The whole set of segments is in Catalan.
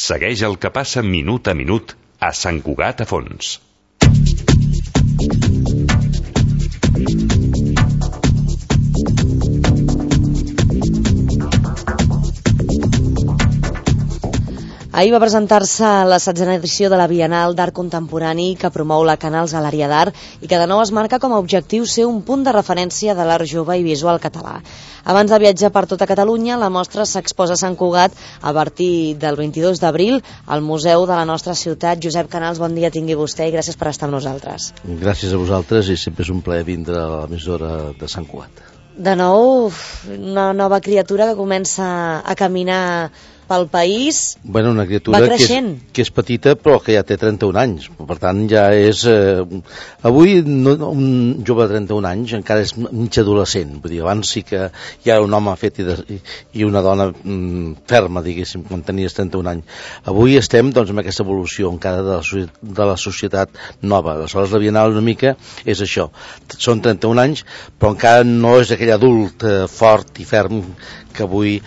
Segueix el que passa minut a minut a Sant Cugat a Fons. Ahir va presentar-se la 16a edició de la Bienal d'Art Contemporani que promou la Canals a l'àrea d'art i que de nou es marca com a objectiu ser un punt de referència de l'art jove i visual català. Abans de viatjar per tota Catalunya, la mostra s'exposa a Sant Cugat a partir del 22 d'abril al Museu de la nostra ciutat. Josep Canals, bon dia tingui vostè i gràcies per estar amb nosaltres. Gràcies a vosaltres i sempre és un plaer vindre a l'emissora de Sant Cugat. De nou, una nova criatura que comença a caminar pel país. Bueno, una criatura que és petita però que ja té 31 anys, per tant ja és avui un jove de 31 anys encara és mig adolescent, vull dir, abans sí que ja era un home fet i una dona ferma, diguéssim, quan tenies 31 anys. Avui estem doncs amb aquesta evolució encara de la societat nova. Aleshores la Bienal una mica és això, són 31 anys però encara no és aquell adult fort i ferm que avui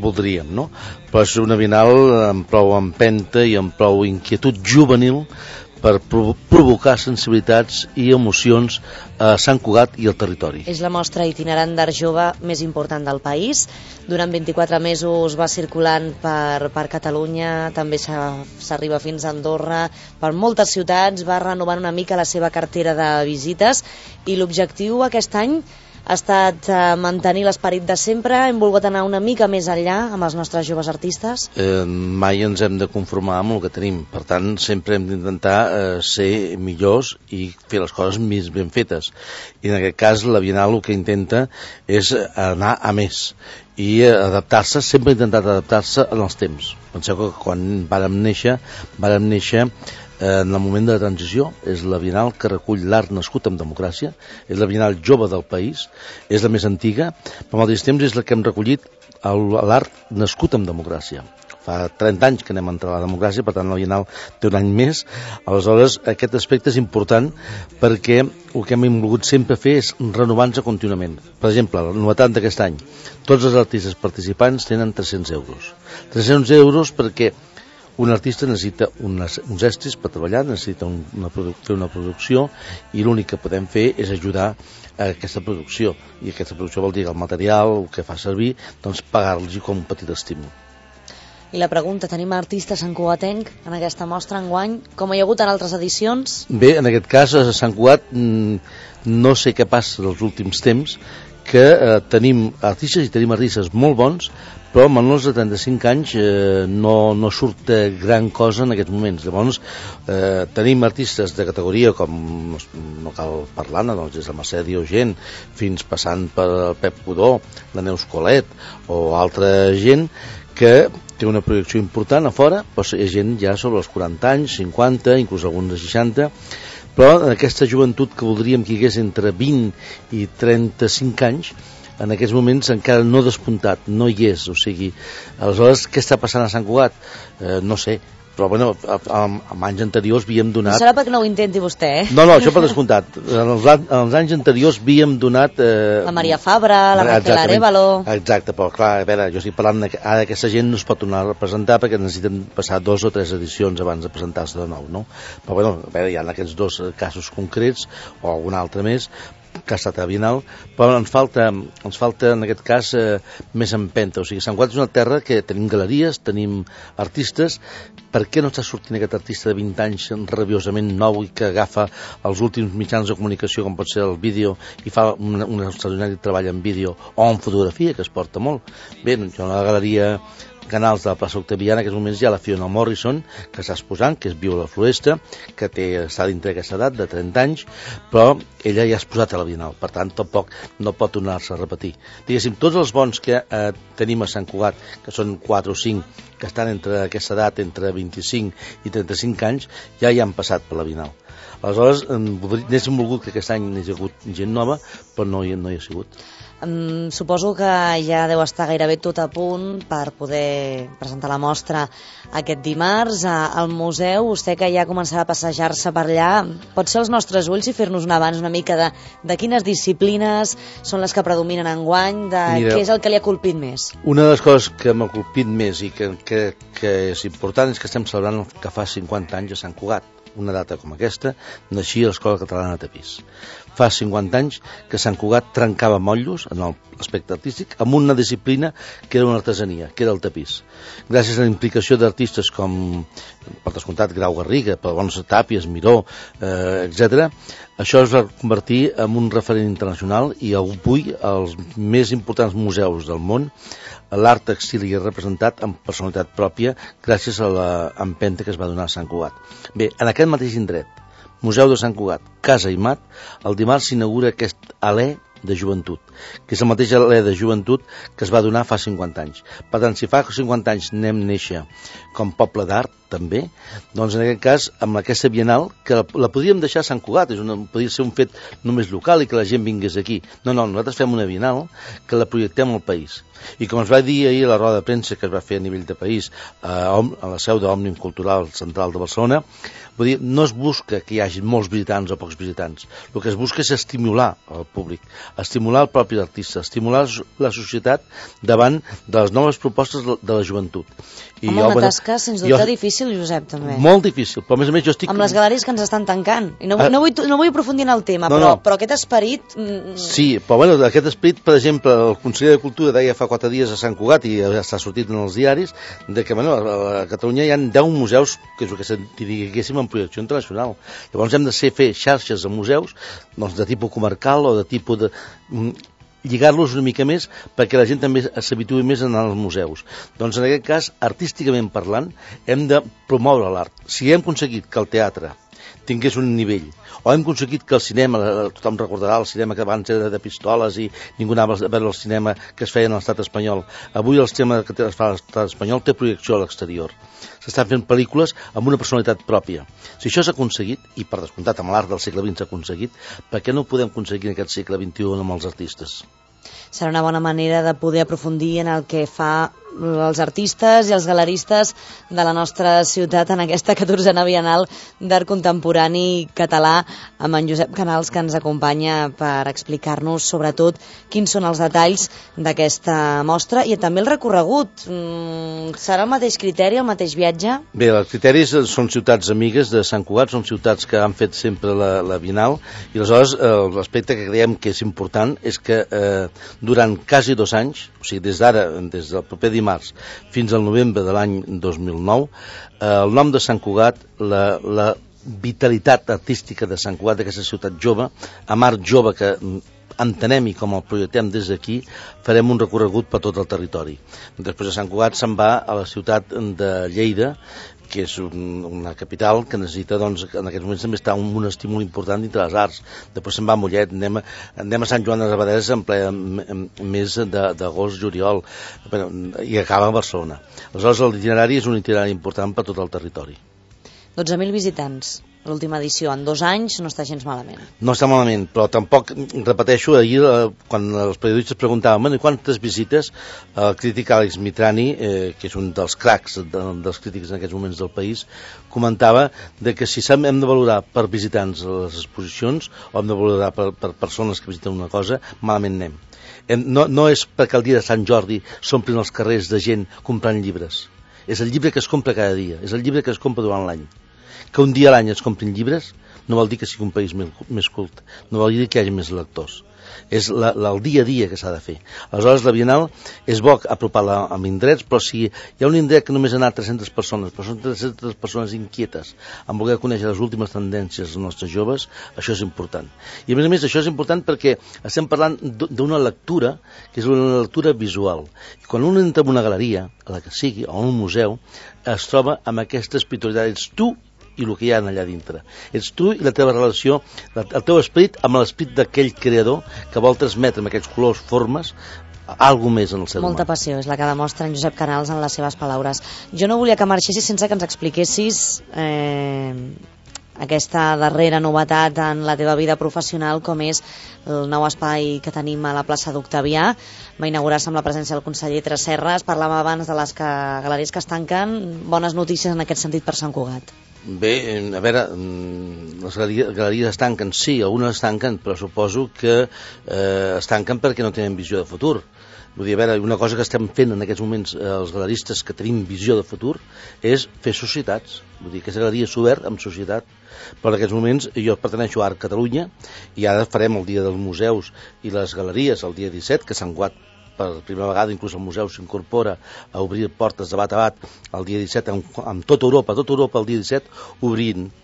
voldríem, no? Però és una Bienal amb prou empenta i amb prou inquietud juvenil per provocar sensibilitats i emocions a Sant Cugat i al territori. És la mostra itinerant d'art jove més important del país. Durant 24 mesos va circulant per Catalunya, també s'arriba fins a Andorra, per moltes ciutats, va renovant una mica la seva cartera de visites i l'objectiu aquest any ha estat mantenir l'esperit de sempre. Hem volgut anar una mica més enllà amb els nostres joves artistes. Mai ens hem de conformar amb el que tenim, per tant sempre hem d'intentar ser millors i fer les coses més ben fetes, i en aquest cas la Bienal el que intenta és anar a més i adaptar-se, sempre ha intentat adaptar-se en els temps. Penseu que quan vàrem néixer en el moment de la transició, és la Bienal que recull l'art nascut en democràcia, és la Bienal jove del país, és la més antiga, però al mateix temps és la que hem recollit l'art nascut en democràcia. Fa 30 anys que anem a entrar a la democràcia, per tant la Bienal té un any més. Aleshores aquest aspecte és important perquè el que hem volgut sempre fer és renovar-nos contínuament. Per exemple, la novetat d'aquest any, tots els artistes participants tenen 300 euros. 300 euros perquè un artista necessita uns estris per treballar, necessita fer una producció i l'únic que podem fer és ajudar a aquesta producció, i aquesta producció vol dir el material, el que fa servir, doncs pagar-los com un petit estímul. I la pregunta, tenim artistes santcugatenc en aquesta mostra enguany, com hi ha hagut en altres edicions? Bé, en aquest cas a Sant Cugat no sé què passa els últims temps, que tenim artistes molt bons, però amb menors de 35 anys no surt gran cosa en aquests moments. Llavors tenim artistes de categoria com, no cal parlar-ne, doncs des de Mercè Diogent fins passant per el Pep Codó, la Neus Colet o altra gent que té una projecció important a fora, però és gent ja sobre els 40 anys, 50, inclús alguns de 60, però aquesta joventut que voldríem que hi hagués entre 20 i 35 anys, en aquests moments encara no despuntat, no hi és, o sigui, aleshores què està passant a Sant Cugat? No sé, però bueno, en anys anteriors havíem donat... No serà perquè no ho intenti vostè, No, això per descomptat. En els anys anteriors havíem donat... La Maria Fabra, la Raquel Arévalo... Exacte, però clar, a veure, jo estic parlant ara aquesta gent no es pot tornar a representar perquè necessiten passar 2 o 3 edicions abans de presentar-se de nou, no? Però bueno, a veure, hi ha aquests 2 casos concrets, o algun altre més, que ha estat a Bienal, però ens falta en aquest cas més empenta. O sigui, Sant Cugat és una terra que tenim galeries, tenim artistes. Per què no està sortint aquest artista de 20 anys rabiosament nou i que agafa els últims mitjans de comunicació com pot ser el vídeo i fa un extraordinari treball en vídeo o en fotografia, que es porta molt bé? Jo a la galeria Canals de la plaça Octaviana, en aquests moments hi ha la Fiona Morrison, que està exposant, que és Viu a la Floresta, que està dintre d'aquesta edat, de 30 anys, però ella ja ha exposat a la Bienal, per tant tampoc no pot tornar-se a repetir. Diguéssim, tots els bons que tenim a Sant Cugat, que són 4 o 5, que estan entre aquesta edat, entre 25 i 35 anys, ja hi han passat per la Bienal. Aleshores, n'héssim volgut que aquest any n'hi hagi hagut gent nova, però no hi ha sigut. Suposo que ja deu estar gairebé tot a punt per poder poder presentar la mostra aquest dimarts al museu. Vostè que ja començarà a passejar-se per allà, pot ser els nostres ulls i fer-nos un abans una mica de quines disciplines són les que predominen enguany, de què és el que li ha colpit més? Una de les coses que m'ha colpit més i que és important és que estem celebrant que fa 50 anys a Sant Cugat. Una data com aquesta naixia l'Escola Catalana de Tapís. Fa 50 anys que Sant Cugat trencava motllos en l'aspecte artístic amb una disciplina que era una artesania, que era el tapís. Gràcies a la implicació d'artistes com, per descomptat, Grau Garriga, Pavons Tàpies, Miró, etc., això es va convertir en un referent internacional i avui els més importants museus del món l'art textil hi ha representat amb personalitat pròpia gràcies a l'empenta que es va donar a Sant Cugat. Bé, en aquest mateix indret, Museu de Sant Cugat, Casa i Mat, el dimarts s'inaugura aquest alè de joventut, que és el mateix alè de joventut que es va donar fa 50 anys. Per tant, si fa 50 anys anem néixer com poble d'art, també, doncs en aquest cas, amb aquesta Bienal, que la podríem deixar a Sant Cugat, podria ser un fet només local i que la gent vingués aquí. No, nosaltres fem una Bienal que la projectem al país. I com es va dir ahir a la roda de premsa que es va fer a nivell de país a la seu d'Òmnium Cultural Central de Barcelona, vull dir, no es busca que hi hagi molts visitants o pocs visitants. El que es busca és estimular el públic, estimular el propi artista, estimular la societat davant de les noves propostes de la joventut. Home, una tasca, sens dubte, difícil, Josep, també. Molt difícil, però a més a més jo estic... Amb les galeries que ens estan tancant. I no vull aprofundir en el tema, però aquest esperit... Sí, però bueno, aquest esperit, per exemple, el conseller de Cultura deia fa 4 dies a Sant Cugat, i ja està sortit en els diaris, de que bueno, a Catalunya hi ha 10 museus, que és el que diguéssim en projecció internacional. Llavors hem de fer xarxes de museus doncs, de tipus comarcal o de tipus de... lligar-los una mica més perquè la gent també s'habituï més a anar als museus. Doncs en aquest cas, artísticament parlant, hem de promoure l'art. Si hem aconseguit que el teatre tingués un nivell, o hem aconseguit que el cinema, tothom recordarà el cinema que abans era de pistoles i ningú anava a veure el cinema que es feia en l'estat espanyol. Avui el cinema que es fa a l'estat espanyol té projecció a l'exterior. S'estan fent pel·lícules amb una personalitat pròpia. Si això s'ha aconseguit, i per descomptat amb l'art del segle XX s'ha aconseguit, per què no ho podem aconseguir en aquest segle XXI amb els artistes? Serà una bona manera de poder aprofundir en el que fa els artistes i els galeristes de la nostra ciutat en aquesta 14a Bienal d'Art Contemporani Català, amb en Josep Canals, que ens acompanya per explicar-nos sobretot quins són els detalls d'aquesta mostra i també el recorregut. Serà el mateix criteri, el mateix viatge? Bé, els criteris són ciutats amigues de Sant Cugat, són ciutats que han fet sempre la Bienal, i aleshores l'aspecte que creiem que és important és que durant quasi 2 anys, o sigui, des del proper dimarts fins al novembre de l'any 2009, el nom de Sant Cugat, la vitalitat artística de Sant Cugat, d'aquesta ciutat jove, amb art jove que entenem i com el projectem des d'aquí, farem un recorregut per tot el territori. Després de Sant Cugat se'n va a la ciutat de Lleida, que és una capital que necessita, doncs, en aquests moments també està un estímul important dintre les arts. Després se'n va a Mollet, anem a Sant Joan de les Abadesses en ple mes d'agost, juliol, i acaba a Barcelona. Aleshores, l'itinerari és un itinerari important per tot el territori. 12.000 visitants. L'última edició, en 2 anys, no està gens malament. No està malament, però tampoc, repeteixo, ahir quan els periodistes preguntaven quantes visites, el crític Àlex Mitrani, que és un dels cracs dels crítics en aquests moments del país, comentava de que si hem de valorar per visitants les exposicions o hem de valorar per persones que visiten una cosa, malament anem. No és perquè el dia de Sant Jordi s'omplin els carrers de gent comprant llibres. És el llibre que es compra cada dia, és el llibre que es compra durant l'any. Que un dia a l'any es comprin llibres no vol dir que sigui un país més cult, no vol dir que hi hagi més lectors. És el dia a dia que s'ha de fer. Aleshores, la Bienal és bo apropar-la amb indrets, però si hi ha un indret que només ha anat 300 persones, però són 300 persones inquietes en voler conèixer les últimes tendències dels nostres joves, això és important. I a més, això és important perquè estem parlant d'una lectura que és una lectura visual. I quan un entra en una galeria, a la que sigui, o en un museu, es troba amb aquesta espiritualitat. Ets tu i el que hi ha allà dintre. Ets tu i la teva relació, el teu esperit amb l'esperit d'aquell creador que vol transmetre amb aquests colors, formes, alguna més en el ser humà. Molta passió és la que demostra en Josep Canals en les seves paraules. Jo no volia que marxessis sense que ens expliquessis aquesta darrera novetat en la teva vida professional, com és el nou espai que tenim a la plaça d'Octavià. Va inaugurar-se amb la presència del conseller Tresserras. Parlàvem abans de les galeries que es tanquen. Bones notícies en aquest sentit per Sant Cugat. Bé, a veure, les galeries es tanquen, sí, algunes es tanquen, però suposo que es tanquen perquè no tenen visió de futur. Vull dir, a veure, una cosa que estem fent en aquests moments els galeristes que tenim visió de futur és fer societats. Vull dir, aquesta galeria s'ha obert amb societat, però en aquests moments jo perteneixo a Art Catalunya i ara farem el Dia dels Museus i les Galeries el dia 17, que Sant Cugat per primera vegada, inclús el museu s'incorpora a obrir portes de bat a bat el dia 17 amb tota Europa el dia 17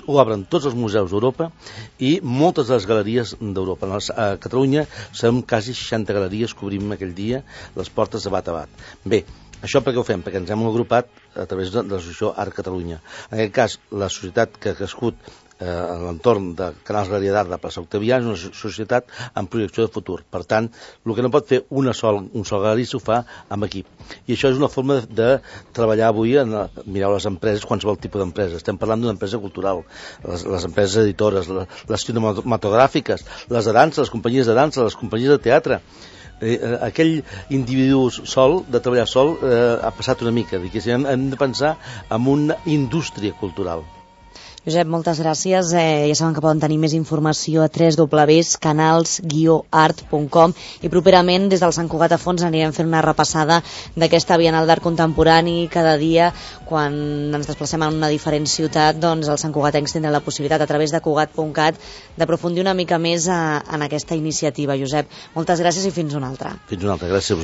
obren tots els museus d'Europa i moltes de les galeries d'Europa. A Catalunya som quasi 60 galeries que obrim aquell dia les portes de bat a bat. Bé, això per què ho fem? Perquè ens hem agrupat a través de l'associació Art Catalunya. En aquest cas, la societat que ha crescut a l'entorn de Canals Galeria d'Art de Plaça Octavià és una societat amb projecció de futur. Per tant, el que no pot fer un sol galerista ho fa amb equip. I això és una forma de treballar avui mireu les empreses, qualsevol tipus d'empresa. Estem parlant d'una empresa cultural, les empreses editores, les cinematogràfiques, les de dansa, les companyies de dansa, les companyies de teatre. Aquell individu sol, de treballar sol, ha passat una mica. Hem de pensar en una indústria cultural. Josep, moltes gràcies. Ja saben que poden tenir més informació a www.canals-art.com i properament des del Sant Cugat a Fons anirem fent una repassada d'aquesta Bienal d'Art Contemporani. Cada dia, quan ens desplacem en una diferent ciutat, doncs els santcugatencs tindran la possibilitat a través de cugat.cat d'aprofundir una mica més en aquesta iniciativa. Josep, moltes gràcies i fins una altra. Fins una altra, gràcies a vosaltres.